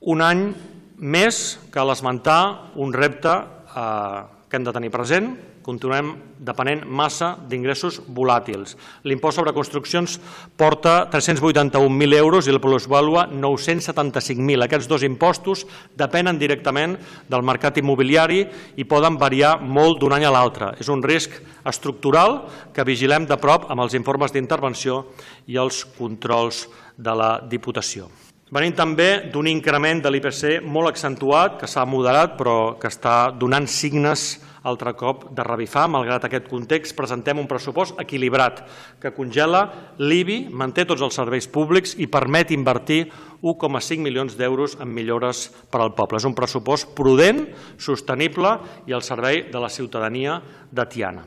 Un any més cal esmentar un repte que hem de tenir present. Continuem depenent massa d'ingressos volàtils. L'impost sobre construccions porta 381.000 euros i la plusvàlua 975.000. Aquests dos impostos depenen directament del mercat immobiliari i poden variar molt d'un any a l'altre. És un risc estructural que vigilem de prop amb els informes d'intervenció i els controls de la Diputació. Venim també d'un increment de l'IPC molt accentuat, que s'ha moderat però que està donant signes altre cop de revifar. Malgrat aquest context, presentem un pressupost equilibrat que congela l'IBI, manté tots els serveis públics i permet invertir 1,5 milions d'euros en millores per al poble. És un pressupost prudent, sostenible i al servei de la ciutadania de Tiana.